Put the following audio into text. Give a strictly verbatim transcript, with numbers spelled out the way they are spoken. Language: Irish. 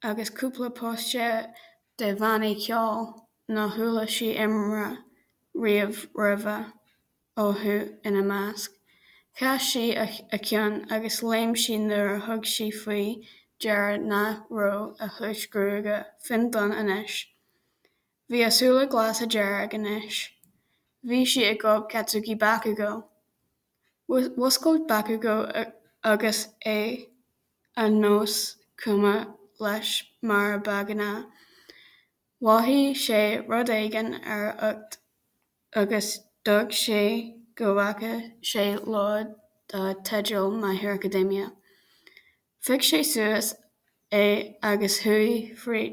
agus cúpla póstaer de bhannaí ceoil nár chuala sí iomrá riamh roimhe orthu ina measc. Chas sí a ceann agus léim sí nuair a thug sí faoi deara nach raibh a chuid gruaige fionndonn anois. Bhí a súile glasa dearg anois. Bhí sí ag gob Katsuki Bakugo. Mhúscail Bakugo agus é ar nós cuma leis mar ba ghnáth. Mhothaigh sé rud éigin ar a ucht agus d'amharc sé go bhfaca sé leabhar dar teideal My Hero Academia. Phioc sé suas é agus chuaigh fríd.